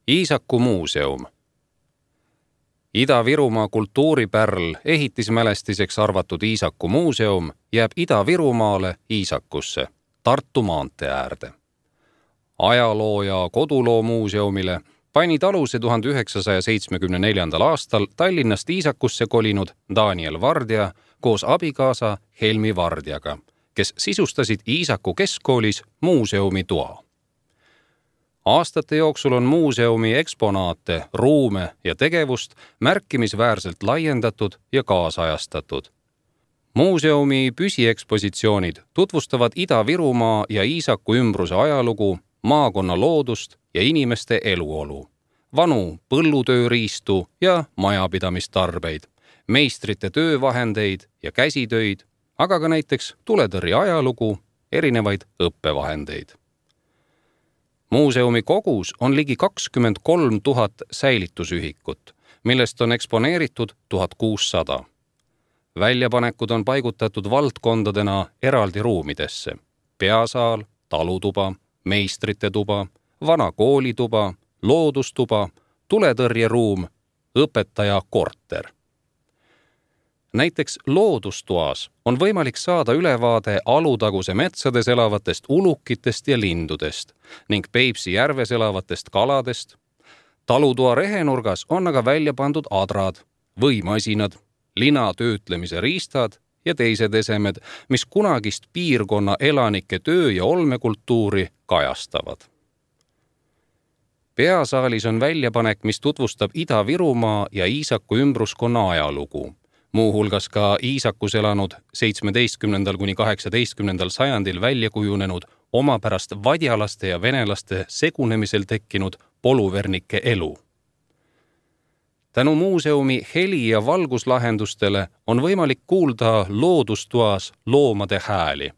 Iisaku muuseum. Ida-Virumaa kultuuripärl ehitismälestiseks arvatud Iisaku muuseum jääb Ida-Virumaale Iisakusse, Tartu maantee äärde. Ajaloo- ja koduloo muuseumile panid aluse 1974. aastal Tallinnast Iisakusse kolinud Daniel Vardja koos abikaasa Helmi Vardjaga, kes sisustasid Iisaku keskkoolis muuseumitoa. Aastate jooksul on muuseumi eksponaate, ruume ja tegevust märkimisväärselt laiendatud ja kaasajastatud. Muuseumi püsiekspositsioonid tutvustavad Ida-Virumaa ja Iisaku ümbruse ajalugu, maakonna loodust ja inimeste eluolu, vanu põllutööriistu ja majapidamistarbeid, meistrite töövahendeid ja käsitöid, aga ka näiteks tuletõrje ajalugu, erinevaid õppevahendeid. Muuseumi kogus on ligi 23 000 säilitusühikut, millest on eksponeeritud 1600. Väljapanekud on paigutatud valdkondadena eraldi ruumidesse: peasaal, talutuba, meistrite tuba, vana koolituba, loodustuba, tuletõrjeruum, õpetaja korter. Näiteks loodustoas on võimalik saada ülevaade Alutaguse metsades elavatest ulukitest ja lindudest ning Peipsi järves elavatest kaladest. Talutoa rehenurgas on aga välja pandud adrad, võimasinad, lina töötlemise riistad ja teised esemed, mis kunagist piirkonna elanike töö- ja olmekultuuri kajastavad. Peasaalis on väljapanek, mis tutvustab Ida-Virumaa ja Iisaku ümbruskonna ajalugu, muuhulgas ka Iisakus elanud 17. kuni 18. sajandil välja kujunenud omapärast vadjalaste ja venelaste segunemisel tekkinud poluvernike elu. Tänu muuseumi heli- ja valguslahendustele on võimalik kuulda loodustoas loomade hääli,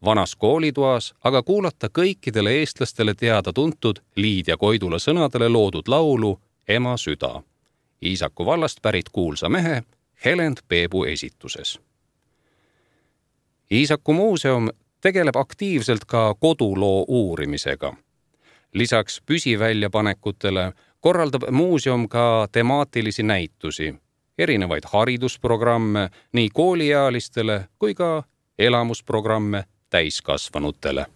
vanas koolitoas aga kuulata kõikidele eestlastele teada-tuntud Liidia Koidula sõnadele loodud laulu Ema süda, Iisaku vallast pärit kuulsa mehe Helend Peebu esituses. Iisaku muuseum tegeleb aktiivselt ka koduloo uurimisega. Lisaks püsiväljapanekutele korraldab muuseum ka temaatilisi näitusi, erinevaid haridusprogramme nii kooliealistele kui ka elamusprogramme täiskasvanutele.